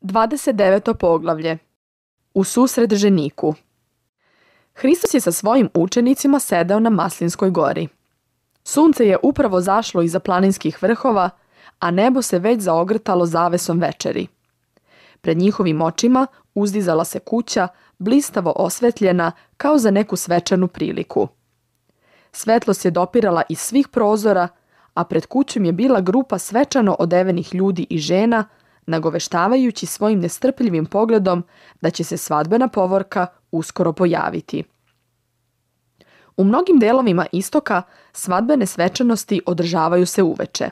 29. poglavlje. U susret ženiku. Hristos je sa svojim učenicima sedeo na Maslinskoj gori. Sunce je upravo zašlo iza planinskih vrhova, a nebo se već zaogrtalo zavesom večeri. Pred njihovim očima uzdizala se kuća, blistavo osvetljena kao za neku svečanu priliku. Svetlost je dopirala iz svih prozora, a pred kućom je bila grupa svečano odevenih ljudi i žena, nagoveštavajući svojim nestrpljivim pogledom da će se svadbena povorka uskoro pojaviti. U mnogim delovima istoka svadbene svečanosti održavaju se uveče.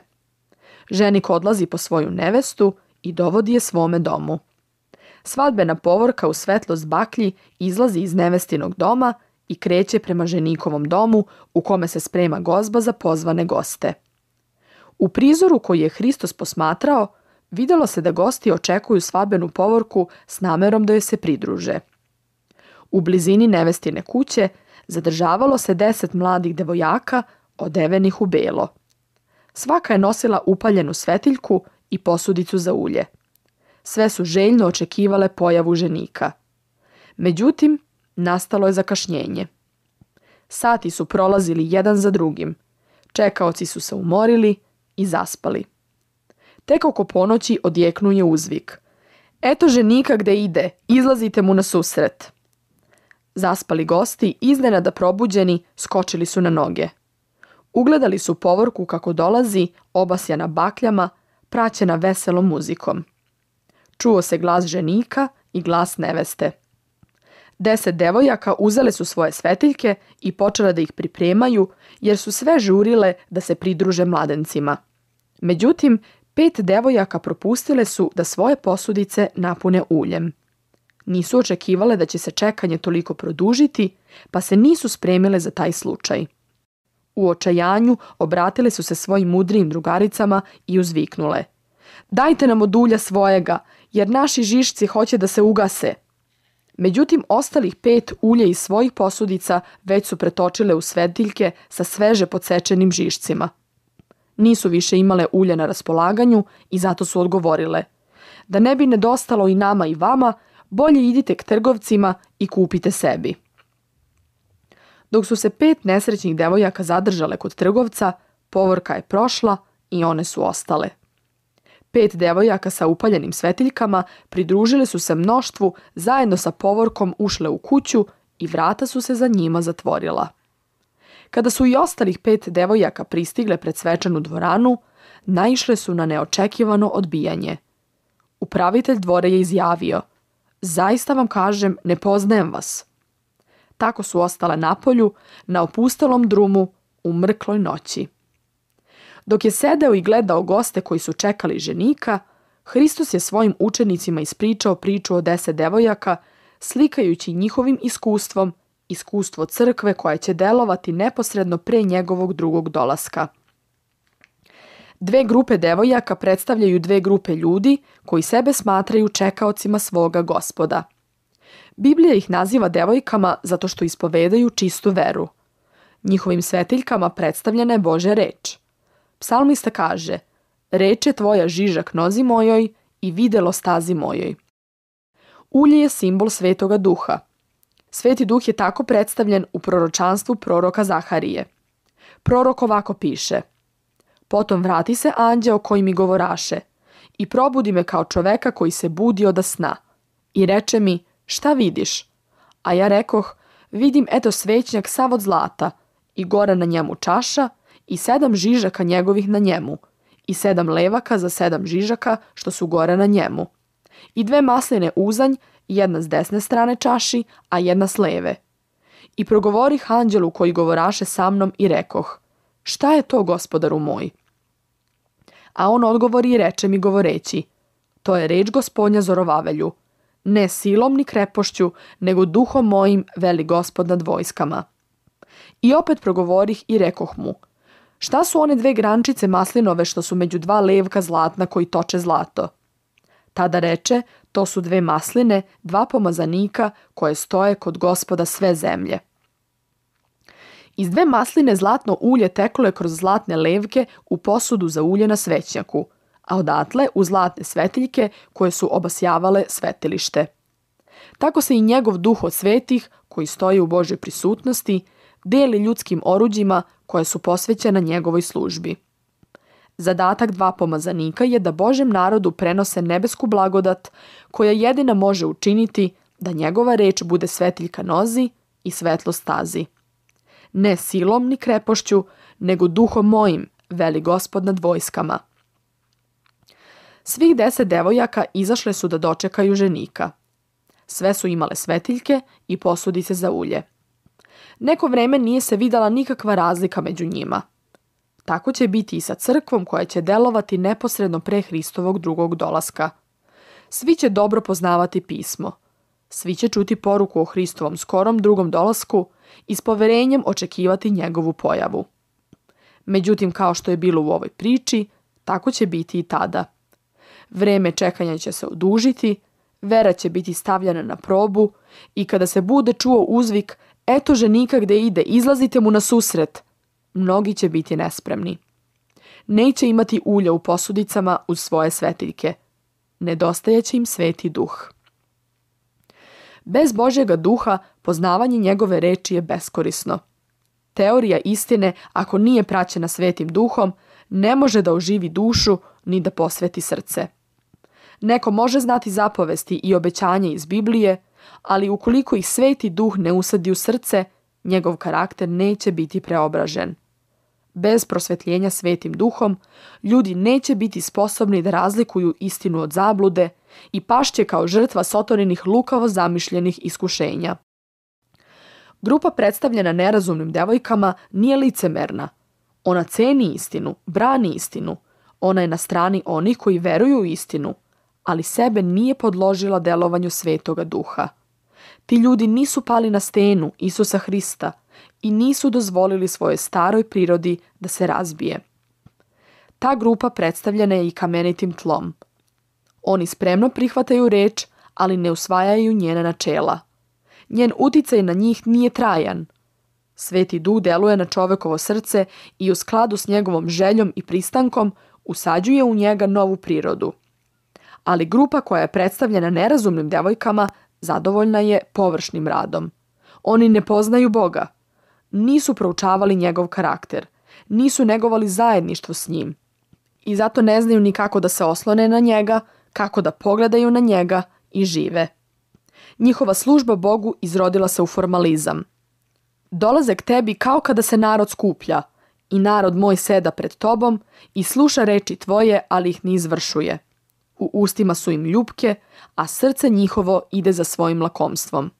Ženik odlazi po svoju nevestu i dovodi je svome domu. Svadbena povorka u svetlost baklji izlazi iz nevestinog doma i kreće prema ženikovom domu u kome se sprema gozba za pozvane goste. U prizoru koji je Hristos posmatrao, vidjelo se da gosti očekuju svadbenu povorku s namerom da joj se pridruže. U blizini nevestine kuće zadržavalo se 10 mladih devojaka odevenih u belo. Svaka je nosila upaljenu svetiljku i posudicu za ulje. Sve su željno očekivale pojavu ženika. Međutim, nastalo je zakašnjenje. Sati su prolazili jedan za drugim. Čekaoci su se umorili i zaspali. Tek oko ponoći odjeknuje uzvik. Eto ženika gde ide, izlazite mu na susret. Zaspali gosti, iznenada probuđeni, skočili su na noge. Ugledali su povorku kako dolazi, obasjana bakljama, praćena veselom muzikom. Čuo se glas ženika i glas neveste. 10 devojaka uzele su svoje svetiljke i počele da ih pripremaju, jer su sve žurile da se pridruže mladencima. Međutim, 5 devojaka propustile su da svoje posudice napune uljem. Nisu očekivale da će se čekanje toliko produžiti, pa se nisu spremile za taj slučaj. U očajanju obratile su se svojim mudrijim drugaricama i uzviknule: "Dajte nam od ulja svojega, jer naši žišci hoće da se ugase." Međutim, ostalih 5 ulje iz svojih posudica već su pretočile u svetiljke sa sveže podsečenim žišcima. Nisu više imale ulje na raspolaganju i zato su odgovorile: "Da ne bi nedostalo i nama i vama, bolje idite k trgovcima i kupite sebi." Dok su se 5 nesrećnih devojaka zadržale kod trgovca, povorka je prošla i one su ostale. 5 devojaka sa upaljenim svetiljkama pridružile su se mnoštvu, zajedno sa povorkom ušle u kuću i vrata su se za njima zatvorila. Kada su i ostalih 5 devojaka pristigle pred svečanu dvoranu, naišle su na neočekivano odbijanje. Upravitelj dvora je izjavio: "Zaista vam kažem, ne poznajem vas." Tako su ostale napolju, na opustelom drumu, u mrkloj noći. Dok je sedeo i gledao goste koji su čekali ženika, Hristos je svojim učenicima ispričao priču o 10 devojaka, slikajući njihovim iskustvom iskustvo crkve koja će delovati neposredno pre njegovog drugog dolaska. 2 grupe devojaka predstavljaju 2 grupe ljudi koji sebe smatraju čekaocima svoga Gospoda. Biblija ih naziva devojkama zato što ispovedaju čistu veru. Njihovim svetiljkama predstavljena je Božja reč. Psalmista kaže: "Reč je tvoja žižak nozi mojoj i videlo stazi mojoj." Ulje je simbol Svetoga Duha. Sveti Duh je tako predstavljen u proročanstvu proroka Zaharije. Prorok ovako piše: "Potom vrati se anđeo koji mi govoraše i probudi me kao čoveka koji se budi od sna. I reče mi: šta vidiš? A ja rekoh: vidim eto svećnjak sav od zlata i gore na njemu čaša i 7 žižaka njegovih na njemu i 7 levaka za 7 žižaka što su gore na njemu i 2 masline uzanj, jedna s desne strane čaši, a jedna s leve. I progovorih anđelu koji govoraše sa mnom i rekoh: šta je to, gospodaru moj? A on odgovori i reče mi govoreći: to je reč Gospodnja Zorovavelju, ne silom ni krepošću, nego duhom mojim, veli Gospod nad vojskama. I opet progovorih i rekoh mu: šta su one 2 grančice maslinove što su među 2 levka zlatna koji toče zlato? Tada reče: to su 2 masline, 2 pomazanika koje stoje kod Gospoda sve zemlje. Iz 2 masline zlatno ulje teklo je kroz zlatne levke u posudu za ulje na svećnjaku, a odatle u zlatne svetiljke koje su obasjavale svetilište. Tako se i njegov duh od svetih, koji stoji u Božoj prisutnosti, deli ljudskim oruđima koje su posvećena njegovoj službi. Zadatak dva pomazanika je da Božjem narodu prenose nebesku blagodat koja jedina može učiniti da njegova reč bude svetiljka nozi i svetlo stazi. Ne silom ni krepošću, nego duhom mojim, veli Gospod nad vojskama. Svih 10 devojaka izašle su da dočekaju ženika. Sve su imale svetiljke i posudice za ulje. Neko vreme nije se videla nikakva razlika među njima. Tako će biti i sa crkvom koja će delovati neposredno pre Hristovog drugog dolaska. Svi će dobro poznavati pismo. Svi će čuti poruku o Hristovom skorom drugom dolasku i s poverenjem očekivati njegovu pojavu. Međutim, kao što je bilo u ovoj priči, tako će biti i tada. Vreme čekanja će se odužiti, vera će biti stavljena na probu i kada se bude čuo uzvik "Eto ženika gde ide, izlazite mu na susret", mnogi će biti nespremni. Neće imati ulja u posudicama uz svoje svetiljke. Nedostajeće im Sveti Duh. Bez Božjega duha poznavanje njegove reči je beskorisno. Teorija istine, ako nije praćena Svetim Duhom, ne može da oživi dušu ni da posveti srce. Neko može znati zapovesti i obećanja iz Biblije, ali ukoliko ih Sveti Duh ne usadi u srce, njegov karakter neće biti preobražen. Bez prosvetljenja Svetim Duhom, ljudi neće biti sposobni da razlikuju istinu od zablude i pašće kao žrtva Sotorinih lukavo zamišljenih iskušenja. Grupa predstavljena nerazumnim devojkama nije licemerna. Ona ceni istinu, brani istinu. Ona je na strani onih koji veruju u istinu, ali sebe nije podložila delovanju Svetoga Duha. Ti ljudi nisu pali na stenu Isusa Hrista i nisu dozvolili svojoj staroj prirodi da se razbije. Ta grupa predstavljena je i kamenitim tlom. Oni spremno prihvataju reč, ali ne usvajaju njena načela. Njen uticaj na njih nije trajan. Sveti Duh deluje na čovekovo srce i u skladu s njegovom željom i pristankom usađuje u njega novu prirodu. Ali grupa koja je predstavljena nerazumnim devojkama zadovoljna je površnim radom. Oni ne poznaju Boga. Nisu proučavali njegov karakter. Nisu negovali zajedništvo s njim. I zato ne znaju ni kako da se oslone na njega, kako da pogledaju na njega i žive. Njihova služba Bogu izrodila se u formalizam. Dolaze k tebi kao kada se narod skuplja i narod moj seda pred tobom i sluša reči tvoje, ali ih ne izvršuje. U ustima su im ljupke, a srce njihovo ide za svojim lakomstvom.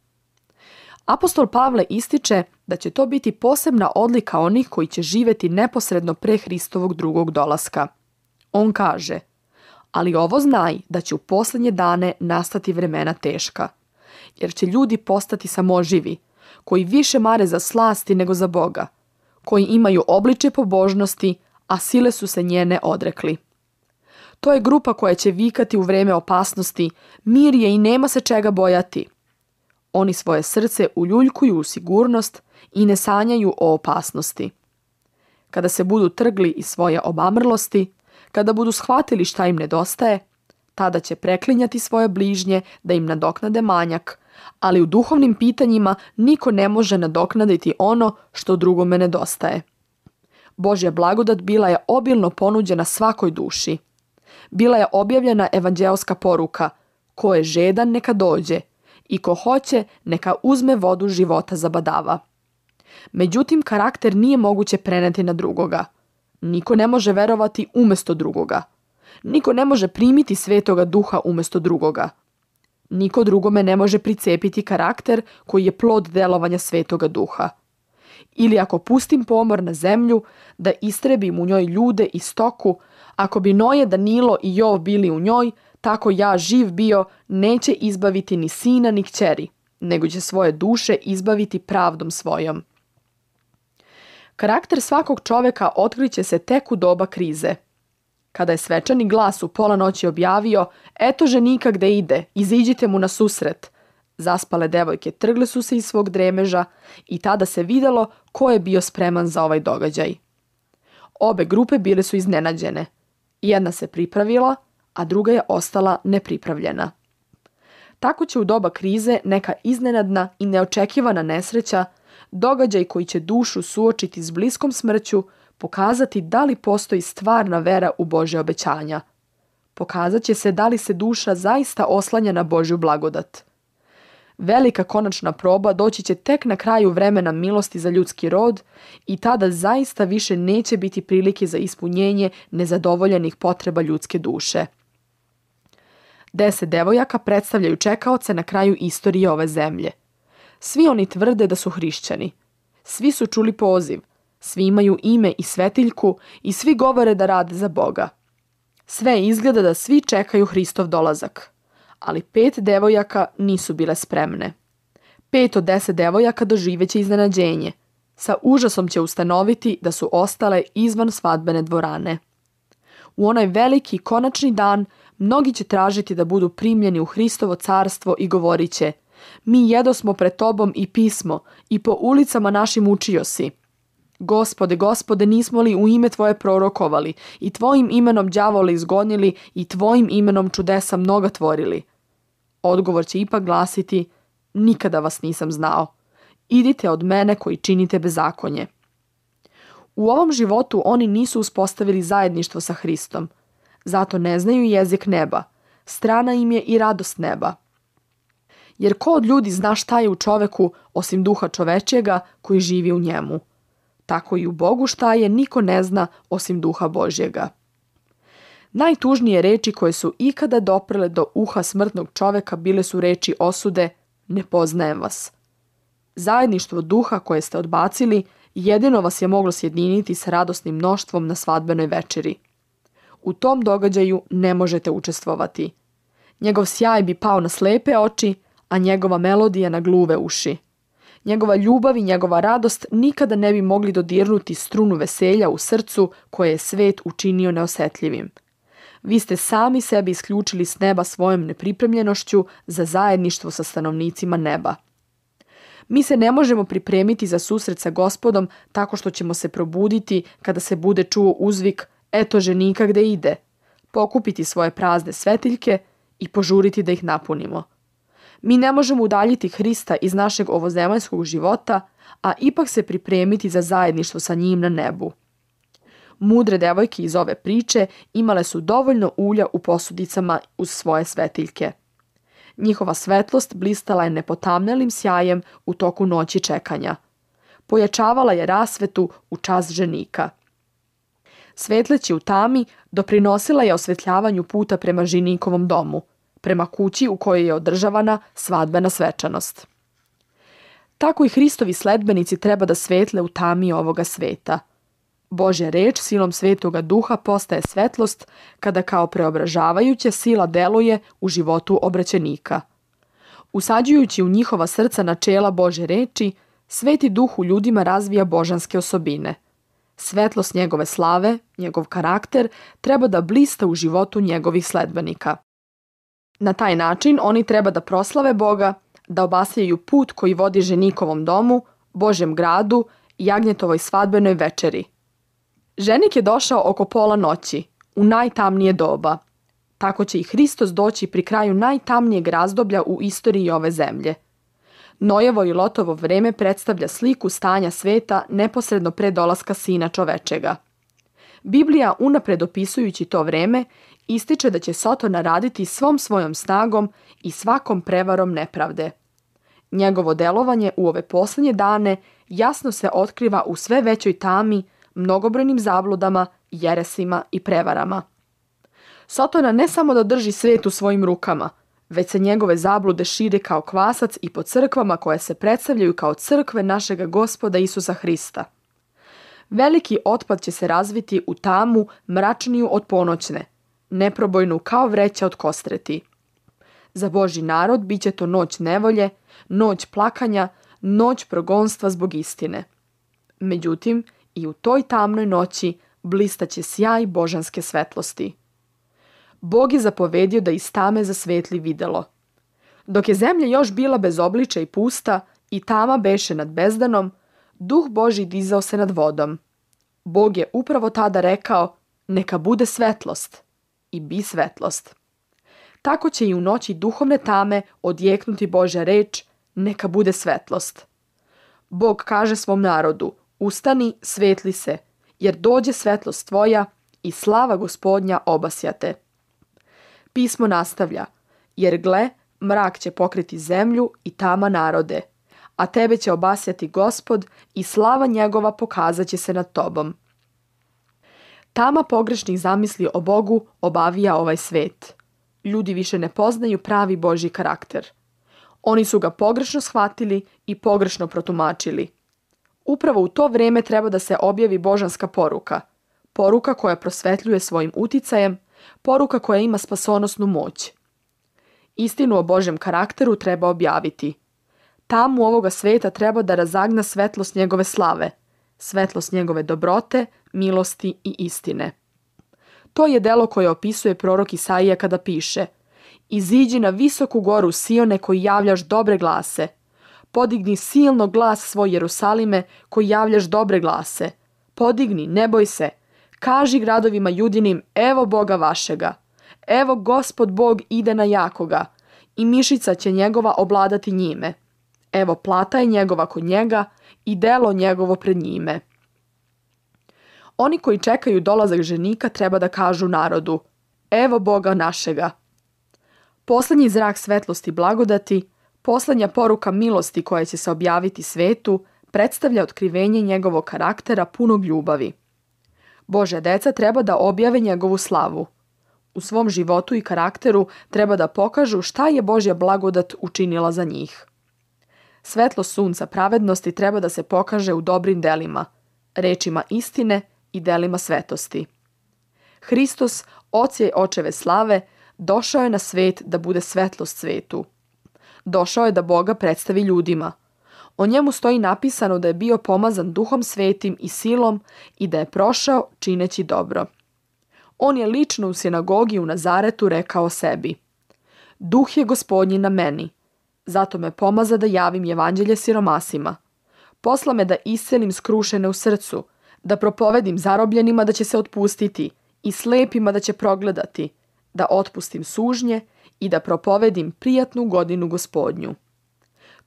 Apostol Pavle ističe da će to biti posebna odlika onih koji će živjeti neposredno pre Hristovog drugog dolaska. On kaže: "Ali ovo znaj da će u posljednje dane nastati vremena teška, jer će ljudi postati samoživi, koji više mare za slasti nego za Boga, koji imaju obličje pobožnosti, a sile su se njene odrekli." To je grupa koja će vikati u vreme opasnosti: "Mir je i nema se čega bojati." Oni svoje srce uljuljkuju u sigurnost i ne sanjaju o opasnosti. Kada se budu trgli iz svoje obamrlosti, kada budu shvatili šta im nedostaje, tada će preklinjati svoje bližnje da im nadoknade manjak, ali u duhovnim pitanjima niko ne može nadoknaditi ono što drugome nedostaje. Božja blagodat bila je obilno ponuđena svakoj duši. Bila je objavljena evanđeoska poruka: "Ko je žedan neka dođe i ko hoće neka uzme vodu života za badava." Međutim, karakter nije moguće preneti na drugoga. Niko ne može verovati umjesto drugoga. Niko ne može primiti Svetoga Duha umjesto drugoga. Niko drugome ne može pricepiti karakter koji je plod delovanja Svetoga Duha. Ili ako pustim pomor na zemlju, da istrebim u njoj ljude i stoku, ako bi Noje, Danilo i Jov bili u njoj, tako ja živ bio neće izbaviti ni sina ni kćeri, nego će svoje duše izbaviti pravdom svojom. Karakter svakog čoveka otkriće se tek u doba krize. Kada je svečani glas u pola noći objavio: "Eto ženika gde ide, iziđite mu na susret", zaspale devojke trgle su se iz svog dremeža i tada se videlo ko je bio spreman za ovaj događaj. Obe grupe bile su iznenađene. Jedna se pripravila, a druga je ostala nepripravljena. Tako će u doba krize neka iznenadna i neočekivana nesreća, događaj koji će dušu suočiti s bliskom smrću, pokazati da li postoji stvarna vera u Božje obećanja. Pokazat će se da li se duša zaista oslanja na Božju blagodat. Velika konačna proba doći će tek na kraju vremena milosti za ljudski rod i tada zaista više neće biti prilike za ispunjenje nezadovoljenih potreba ljudske duše. 10 devojaka predstavljaju čekaoce na kraju istorije ove zemlje. Svi oni tvrde da su hrišćani. Svi su čuli poziv, svi imaju ime i svetiljku i svi govore da rade za Boga. Sve izgleda da svi čekaju Hristov dolazak. Ali 5 devojaka nisu bile spremne. 5 od 10 devojaka doživeće iznenađenje. Sa užasom će ustanoviti da su ostale izvan svadbene dvorane. U onaj veliki konačni dan mnogi će tražiti da budu primljeni u Hristovo carstvo i govorit će: mi jedosmo pred tobom i pismo i po ulicama našim učio si. Gospode, Gospode, nismo li u ime tvoje prorokovali i tvojim imenom đavole izgonili i tvojim imenom čudesa mnoga tvorili? Odgovor će ipak glasiti: nikada vas nisam znao. Idite od mene koji činite bezakonje. U ovom životu oni nisu uspostavili zajedništvo sa Hristom. Zato ne znaju jezik neba. Strana im je i radost neba. Jer ko od ljudi zna šta je u čoveku osim duha čovečjega koji živi u njemu? Tako i u Bogu šta je niko ne zna osim duha Božjega. Najtužnije reči koje su ikada doprele do uha smrtnog čoveka bile su reči osude: ne poznajem vas. Zajedništvo duha koje ste odbacili jedino vas je moglo sjediniti s radosnim mnoštvom na svadbenoj večeri. U tom događaju ne možete učestvovati. Njegov sjaj bi pao na slepe oči, a njegova melodija na gluve uši. Njegova ljubav i njegova radost nikada ne bi mogli dodirnuti strunu veselja u srcu koje je svet učinio neosetljivim. Vi ste sami sebi isključili s neba svojom nepripremljenošću za zajedništvo sa stanovnicima neba. Mi se ne možemo pripremiti za susret sa Gospodom tako što ćemo se probuditi kada se bude čuo uzvik: eto ženika gde ide, pokupiti svoje prazne svetiljke i požuriti da ih napunimo. Mi ne možemo udaljiti Hrista iz našeg ovozemaljskog života, a ipak se pripremiti za zajedništvo sa njim na nebu. Mudre devojke iz ove priče imale su dovoljno ulja u posudicama uz svoje svetiljke. Njihova svetlost blistala je nepotamnjelim sjajem u toku noći čekanja. Pojačavala je rasvetu u čas ženika. Svetleći u tami doprinosila je osvetljavanju puta prema ženikovom domu, prema kući u kojoj je održavana svadbena svečanost. Tako i Hristovi sledbenici treba da svetle u tami ovoga sveta. Božja reč silom Svetoga Duha postaje svetlost kada kao preobražavajuća sila deluje u životu obraćenika. Usađujući u njihova srca načela Božje reči, Sveti Duh u ljudima razvija božanske osobine. Svetlost njegove slave, njegov karakter, treba da blista u životu njegovih sledbenika. Na taj način oni treba da proslave Boga, da obasjaju put koji vodi ženikovom domu, Božjem gradu i jagnjetovoj svadbenoj večeri. Ženik je došao oko pola noći, u najtamnije doba. Tako će i Hristos doći pri kraju najtamnijeg razdoblja u istoriji ove zemlje. Nojevo i Lotovo vreme predstavlja sliku stanja sveta neposredno pre dolaska Sina čovečega. Biblija, unapred opisujući to vreme, ističe da će Sotona raditi svom svojom snagom i svakom prevarom nepravde. Njegovo delovanje u ove posljednje dane jasno se otkriva u sve većoj tami, mnogobrojnim zabludama, jeresima i prevarama. Sotona ne samo da drži svet u svojim rukama, već se njegove zablude šire kao kvasac i po crkvama koje se predstavljaju kao crkve našega Gospoda Isusa Hrista. Veliki otpad će se razviti u tamu mračniju od ponoćne, neprobojnu kao vreća od kostreti. Za Božji narod bit će to noć nevolje, noć plakanja, noć progonstva zbog istine. Međutim, i u toj tamnoj noći blistaće sjaj božanske svetlosti. Bog je zapovedio da iz tame zasvetli videlo. Dok je zemlja još bila bez obliča i pusta i tama beše nad bezdanom, Duh Božji dizao se nad vodom. Bog je upravo tada rekao: neka bude svetlost i bi svetlost. Tako će i u noći duhovne tame odjeknuti Božja reč, neka bude svetlost. Bog kaže svom narodu, ustani, svetli se, jer dođe svetlost tvoja i slava Gospodnja obasjate. Pismo nastavlja, jer gle, mrak će pokriti zemlju i tama narode, a tebe će obasjati Gospod i slava njegova pokazat će se nad tobom. Tama pogrešnih zamisli o Bogu obavija ovaj svet. Ljudi više ne poznaju pravi Božji karakter. Oni su ga pogrešno shvatili i pogrešno protumačili. Upravo u to vrijeme treba da se objavi božanska poruka. Poruka koja prosvetljuje svojim uticajem, poruka koja ima spasonosnu moć. Istinu o Božjem karakteru treba objaviti. Tamu ovoga sveta treba da razagna svetlost njegove slave, svetlost njegove dobrote, milosti i istine. To je delo koje opisuje prorok Isaija kada piše: Iziđi na visoku goru Sione koji javljaš dobre glase. Podigni silno glas svoj Jerusalime koji javljaš dobre glase. Podigni, ne boj se. Kaži gradovima Judinim, evo Boga vašega. Evo Gospod Bog ide na jakoga i mišica će njegova obladati njime. Evo plata je njegova kod njega i delo njegovo pred njime. Oni koji čekaju dolazak ženika treba da kažu narodu, evo Boga našega. Poslednji zrak svetlosti blagodati, poslednja poruka milosti koja će se objaviti svetu, predstavlja otkrivenje njegovog karaktera punog ljubavi. Božja deca treba da objave njegovu slavu. U svom životu i karakteru treba da pokažu šta je Božja blagodat učinila za njih. Svetlo sunca pravednosti treba da se pokaže u dobrim delima, rečima istine i delima svetosti. Hristos, oče očeve slave, došao je na svet da bude svetlost svetu. Došao je da Boga predstavi ljudima. O njemu stoji napisano da je bio pomazan Duhom Svetim i silom i da je prošao čineći dobro. On je lično u sinagogi u Nazaretu rekao sebi: Duh je Gospodnji na meni, zato me pomaza da javim evanđelje siromasima. Posla me da iscelim skrušene u srcu, da propovedim zarobljenima da će se otpustiti i slepima da će progledati, da otpustim sužnje i da propovedim prijatnu godinu Gospodnju.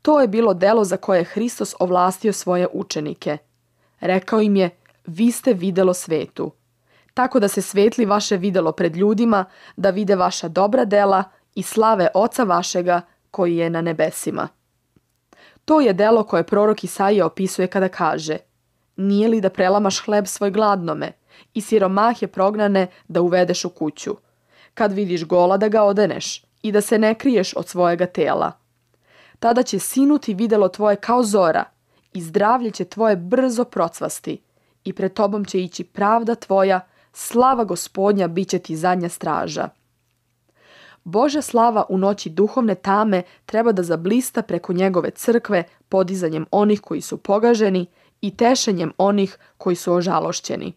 To je bilo delo za koje je Hristos ovlastio svoje učenike. Rekao im je, vi ste videlo svetu. Tako da se svetli vaše videlo pred ljudima, da vide vaša dobra dela i slave Oca vašega koji je na nebesima. To je delo koje prorok Isaija opisuje kada kaže: Nije li da prelamaš hleb svoj gladnome i siromahe prognane da uvedeš u kuću? Kad vidiš gola da ga odeneš i da se ne kriješ od svojega tela. Tada će sinuti videlo tvoje kao zora i zdravlje će tvoje brzo procvasti i pred tobom će ići pravda tvoja, slava Gospodnja bit će ti zadnja straža. Božja slava u noći duhovne tame treba da zablista preko njegove crkve podizanjem onih koji su pogaženi i tešenjem onih koji su ožalošćeni.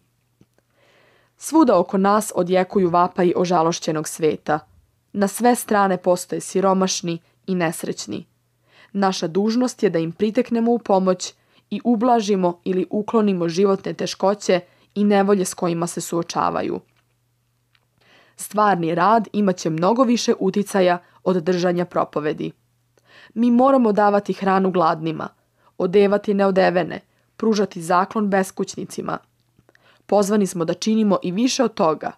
Svuda oko nas odjekuju vapaji ožalošćenog sveta. Na sve strane postoje siromašni i nesrećni. Naša dužnost je da im priteknemo u pomoć i ublažimo ili uklonimo životne teškoće i nevolje s kojima se suočavaju. Stvarni rad imaće mnogo više uticaja od držanja propovedi. Mi moramo davati hranu gladnima, odevati neodevene, pružati zaklon beskućnicima. Pozvani smo da činimo i više od toga.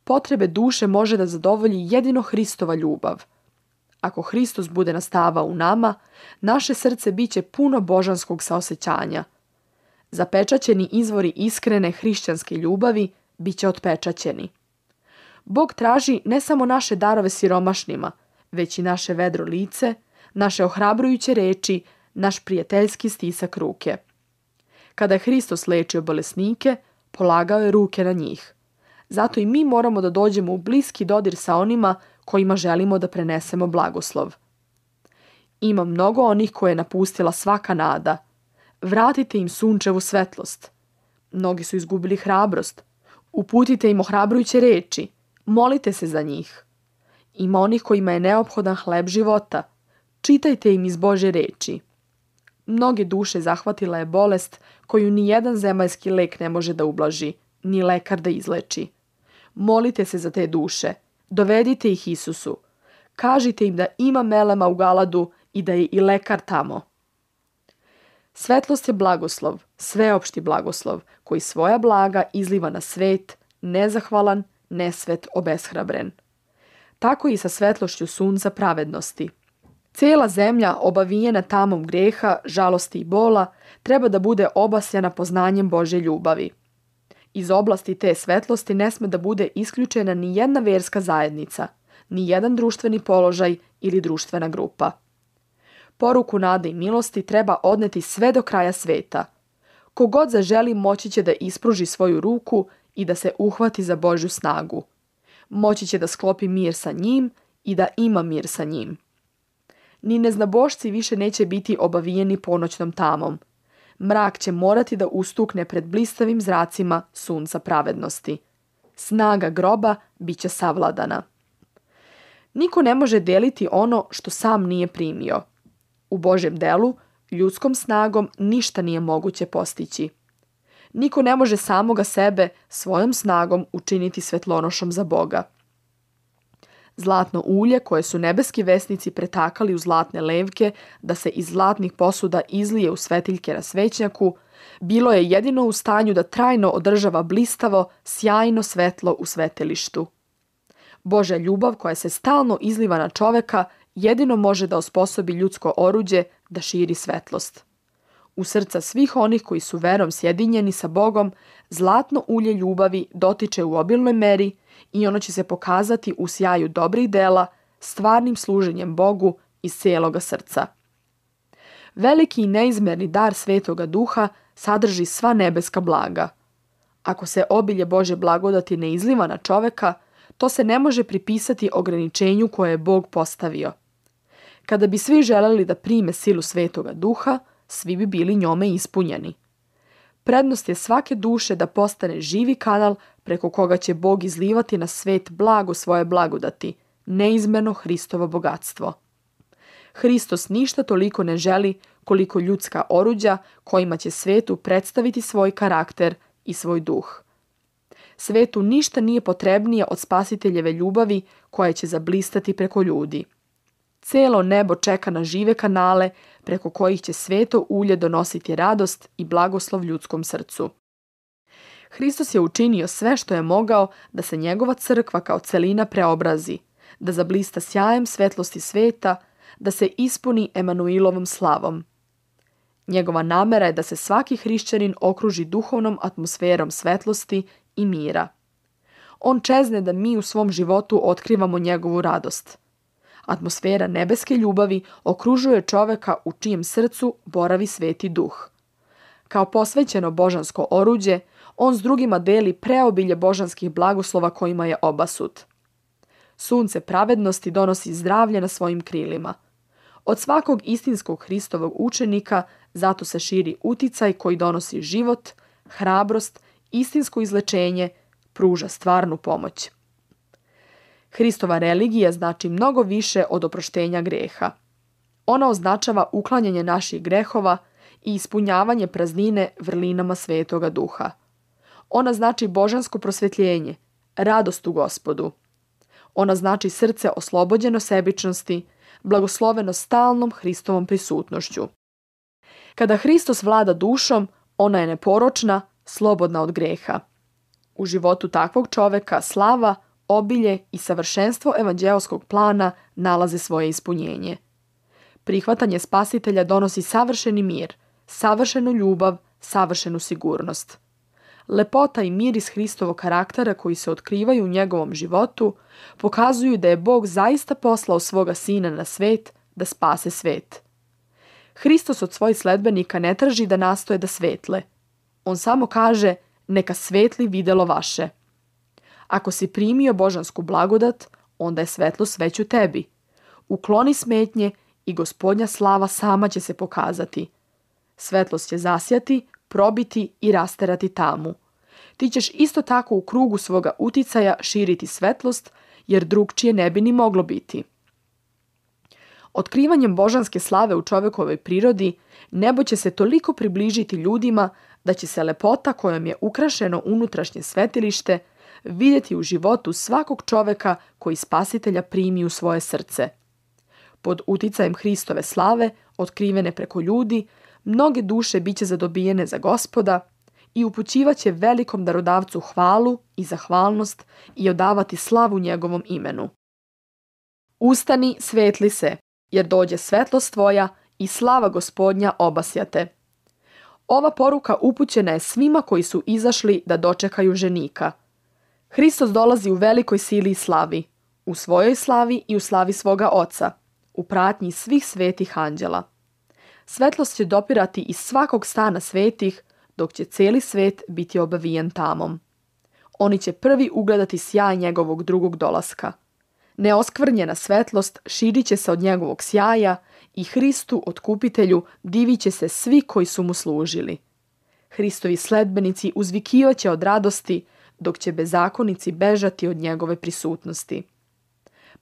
Potrebe duše može da zadovolji jedino Hristova ljubav. Ako Hristos bude nastavao u nama, naše srce biće puno božanskog saosećanja. Zapečaćeni izvori iskrene hrišćanske ljubavi biće otpečaćeni. Bog traži ne samo naše darove siromašnima, već i naše vedro lice, naše ohrabrujuće reči, naš prijateljski stisak ruke. Kada je Hristos lečio bolesnike, polagao je ruke na njih. Zato i mi moramo da dođemo u bliski dodir sa onima kojima želimo da prenesemo blagoslov. Ima mnogo onih koje je napustila svaka nada. Vratite im sunčevu svetlost. Mnogi su izgubili hrabrost. Uputite im ohrabrujuće reči. Molite se za njih. Ima onih kojima je neophodan hleb života. Čitajte im iz Božje reči. Mnoge duše zahvatila je bolest koju ni jedan zemaljski lek ne može da ublaži, ni lekar da izleči. Molite se za te duše, dovedite ih Isusu. Kažite im da ima melema u Galadu i da je i lekar tamo. Svetlost je blagoslov, sveopšti blagoslov, koji svoja blaga izliva na svet, nezahvalan, nesvet, obeshrabren. Tako i sa svetlošću sunca pravednosti. Cijela zemlja, obavijena tamom greha, žalosti i bola, treba da bude obasjana poznanjem Božje ljubavi. Iz oblasti te svetlosti ne sme da bude isključena ni jedna verska zajednica, ni jedan društveni položaj ili društvena grupa. Poruku nade i milosti treba odneti sve do kraja sveta. Kogod zaželi moći će da ispruži svoju ruku i da se uhvati za Božju snagu. Moći će da sklopi mir sa njim i da ima mir sa njim. Ni neznabošci više neće biti obavijeni ponoćnom tamom. Mrak će morati da ustukne pred blistavim zracima sunca pravednosti. Snaga groba bit će savladana. Niko ne može deliti ono što sam nije primio. U Božjem delu, ljudskom snagom ništa nije moguće postići. Niko ne može samoga sebe svojom snagom učiniti svetlonošom za Boga. Zlatno ulje koje su nebeski vesnici pretakali u zlatne levke da se iz zlatnih posuda izlije u svetiljke na svećnjaku, bilo je jedino u stanju da trajno održava blistavo, sjajno svetlo u svetilištu. Božja ljubav koja se stalno izliva na čoveka jedino može da osposobi ljudsko oruđe da širi svetlost. U srca svih onih koji su verom sjedinjeni sa Bogom, zlatno ulje ljubavi dotiče u obilnoj meri i ono će se pokazati u sjaju dobrih dela, stvarnim služenjem Bogu iz cijeloga srca. Veliki i neizmerni dar Svetoga Duha sadrži sva nebeska blaga. Ako se obilje Božje blagodati ne izliva na čoveka, to se ne može pripisati ograničenju koje je Bog postavio. Kada bi svi želeli da prime silu Svetoga Duha, svi bi bili njome ispunjeni. Prednost je svake duše da postane živi kanal preko koga će Bog izlivati na svet blago svoje blagodati, neizmerno Hristovo bogatstvo. Hristos ništa toliko ne želi koliko ljudska oruđa kojima će svetu predstaviti svoj karakter i svoj duh. Svetu ništa nije potrebnije od spasiteljeve ljubavi koja će zablistati preko ljudi. Cijelo nebo čeka na žive kanale preko kojih će sveto ulje donositi radost i blagoslov ljudskom srcu. Hristos je učinio sve što je mogao da se njegova crkva kao celina preobrazi, da zablista sjajem svetlosti sveta, da se ispuni Emanuilovom slavom. Njegova namera je da se svaki hrišćanin okruži duhovnom atmosferom svetlosti i mira. On čezne da mi u svom životu otkrivamo njegovu radost. Atmosfera nebeske ljubavi okružuje čoveka u čijem srcu boravi Sveti Duh. Kao posvećeno božansko oruđe, on s drugima deli preobilje božanskih blagoslova kojima je obasut. Sunce pravednosti donosi zdravlje na svojim krilima. Od svakog istinskog Hristovog učenika zato se širi uticaj koji donosi život, hrabrost, istinsko izlečenje, pruža stvarnu pomoć. Hristova religija znači mnogo više od oproštenja greha. Ona označava uklanjanje naših grehova i ispunjavanje praznine vrlinama Svetoga Duha. Ona znači božansko prosvjetljenje, radost u Gospodu. Ona znači srce oslobođeno sebičnosti, blagosloveno stalnom Hristovom prisutnošću. Kada Hristos vlada dušom, ona je neporočna, slobodna od greha. U životu takvog čoveka slava, obilje i savršenstvo evanđeoskog plana nalaze svoje ispunjenje. Prihvatanje spasitelja donosi savršeni mir, savršenu ljubav, savršenu sigurnost. Lepota i miris Hristovog karaktera koji se otkrivaju u njegovom životu pokazuju da je Bog zaista poslao svoga sina na svet da spase svet. Hristos od svojih sledbenika ne traži da nastoje da svetle. On samo kaže, neka svetli videlo vaše. Ako si primio božansku blagodat, onda je svetlost već u tebi. Ukloni smetnje i Gospodnja slava sama će se pokazati. Svetlost će zasjati, probiti i rasterati tamu. Ti ćeš isto tako u krugu svoga uticaja širiti svetlost, jer drugčije ne bi ni moglo biti. Otkrivanjem božanske slave u čovekovoj prirodi, nebo će se toliko približiti ljudima da će se lepota kojom je ukrašeno unutrašnje svetilište vidjeti u životu svakog čoveka koji Spasitelja primi u svoje srce. Pod uticajem Hristove slave, otkrivene preko ljudi, mnoge duše biće zadobijene za Gospoda i upućivaće velikom darodavcu hvalu i zahvalnost i odavati slavu njegovom imenu. Ustani, svetli se, jer dođe svetlost tvoja i slava Gospodnja obasjate. Ova poruka upućena je svima koji su izašli da dočekaju ženika. Hristos dolazi u velikoj sili i slavi, u svojoj slavi i u slavi svoga Oca, u pratnji svih svetih anđela. Svetlost će dopirati iz svakog stana svetih, dok će cijeli svet biti obavijen tamom. Oni će prvi ugledati sjaj njegovog drugog dolaska. Neoskvrnjena svetlost širit će se od njegovog sjaja i Hristu, otkupitelju, divit će se svi koji su mu služili. Hristovi sledbenici uzvikivaće od radosti, dok će bezakonici bežati od njegove prisutnosti.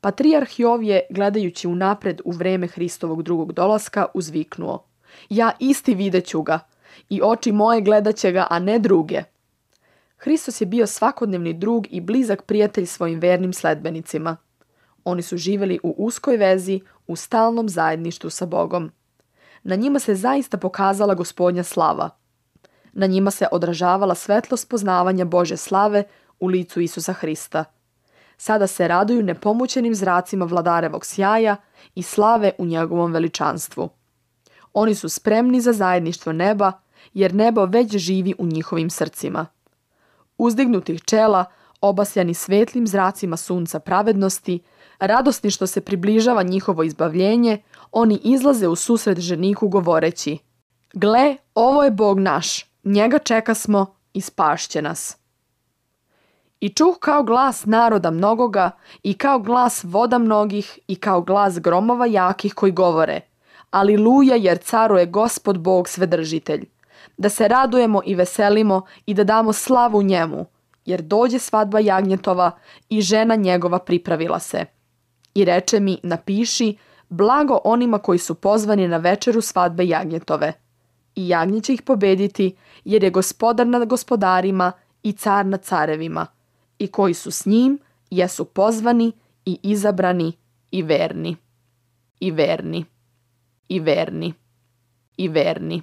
Patrijarh Jovije, gledajući unapred u vreme Hristovog drugog dolaska, uzviknuo: Ja isti videću ga, i oči moje gledat će ga, a ne druge. Hristos je bio svakodnevni drug i blizak prijatelj svojim vernim sledbenicima. Oni su živjeli u uskoj vezi, u stalnom zajedništvu sa Bogom. Na njima se zaista pokazala Gospodnja slava. Na njima se odražavala svetlost poznavanja Božje slave u licu Isusa Hrista. Sada se raduju nepomućenim zracima vladarevog sjaja i slave u njegovom veličanstvu. Oni su spremni za zajedništvo neba, jer nebo već živi u njihovim srcima. Uzdignutih čela, obasjani svetlim zracima sunca pravednosti, radosni što se približava njihovo izbavljenje, oni izlaze u susret ženiku govoreći: Gle, ovo je Bog naš, njega čekasmo i spašće nas. I čuh kao glas naroda mnogoga, i kao glas voda mnogih, i kao glas gromova jakih koji govore: Aliluja, jer caruje Gospod Bog Svedržitelj. Da se radujemo i veselimo i da damo slavu njemu, jer dođe svadba jagnjetova i žena njegova pripravila se. I reče mi: napiši, blago onima koji su pozvani na večeru svadbe jagnjetove. I jagnje će ih pobediti, jer je gospodar nad gospodarima i car nad carevima. I koji su s njim, jesu pozvani i izabrani i verni. I verni. I verni. I verni.